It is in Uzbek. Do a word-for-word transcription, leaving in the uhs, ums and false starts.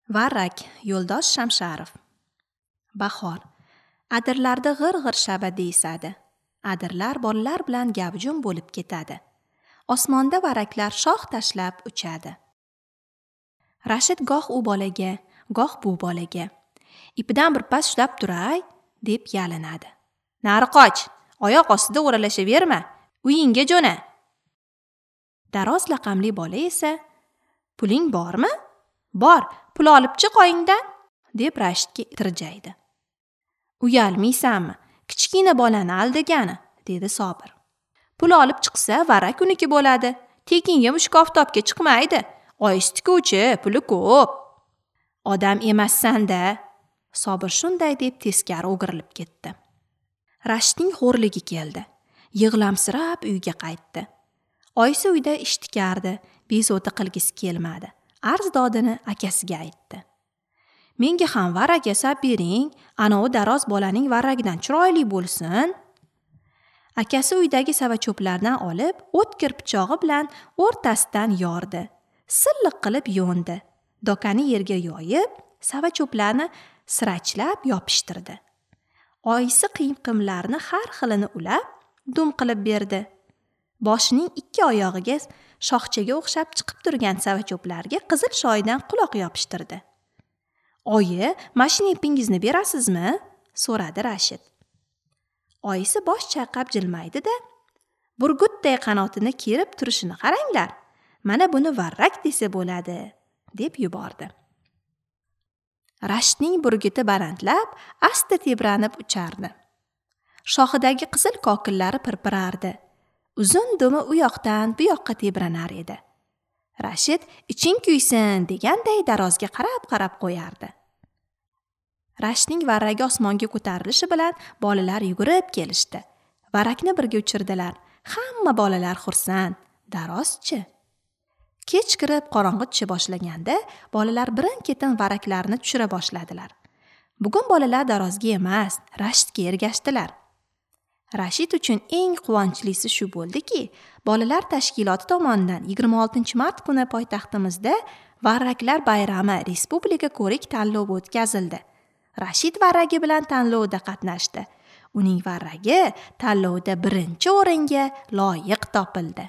Varrak, Yo'ldosh Shamsharov. Bahor. Adirlarda g'ir-g'ir shabada esadi. Adirlar bolalar bilan gavjum bo'lib ketadi. Osmonda varraklar shox tashlab uchadi. Rashid goh u bolaga, goh bu bolaga: "Ipidan bir pas ushlab turay", deb yalinadi. "Nari qoch, oyoq ostida o'ralashaverma, uyingga jo'na." Daroz laqamli bola esa: "Puling bormi? Bor, pul olib chiq oyingdan", deb Rashidga tirjaydi. "Uyalmaysanmi? Kichkina bolani aldagani", dedi Sobir. "Pul olib chiqsa, varrak uniki bo'ladi. Tekinga mushuk oftobga chiqmaydi. Oyisi tikuvchi, puli ko'p." "Odam emassan-da." Sobir shunday deb teskari o'girilib ketdi. Rashidning xo'rligi keldi. Yig'lamsirab uyga qaytdi. Oyisi uyda ish tikardi, bezovta qilgisi kelmadi. Arz dodini akasiga aytdi. "Menga ham varrak yasab bering, anovi daroz bolaning varragidan chiroyli bo'lsin." Akasi uydagi savacho'plardan olib, o'tkir pichog'i bilan o'rtasidan yordi. Silliq qilib yo'ndi. Dokani yerga yoyib, savacho'plarni sirachlab yopishtirdi. Oyisi qiyqimlarni har xilini ulab, dum qilib berdi. Boshining ikki oyog'iga shoxchaga o'xshab chiqib turgan savacho'plarga qizil shoyidan quloq yopishtirdi. "Oyi, mashina ipingizni berasizmi?" so'radi Rashid. Oyisi bosh chayqab jilmaydi-da, "Burgutday qanotini kerib turishini qaranglar. Mana buni varrak desa bo'ladi", deb yubordi. Rashidning burguti balandlab, asta tebranib uchardi. Shoxidagi qizil kokillari pirpirardi. Uzun dumi u yoqdan bu yoqqa tebranar edi. Rashid iching kuysin deganday darozga qarab-qarab qo'yardi. Rashidning varragi osmonga ko'tarilishi bilan bolalar yugurib kelishdi. Varrakni birga uchirdilar. Hamma bolalar xursand. Darozchi. Kech kirib qorong'i tusha boshlaganda bolalar birin-ketin varraklarni tushira boshladilar. Bugun bolalar darozga emas, Rashidga ergashdilar. Rashid uchun eng quvonchlisi shu bo'ldiki, bolalar tashkiloti tomonidan yigirma oltinchi mart kuni poytaxtimizda Varraklar bayrami respublika ko'rik tanlovi o'tkazildi. Rashid varragi bilan tanlovda qatnashdi. Uning varragi tanlovda birinchi o'ringa loyiq topildi.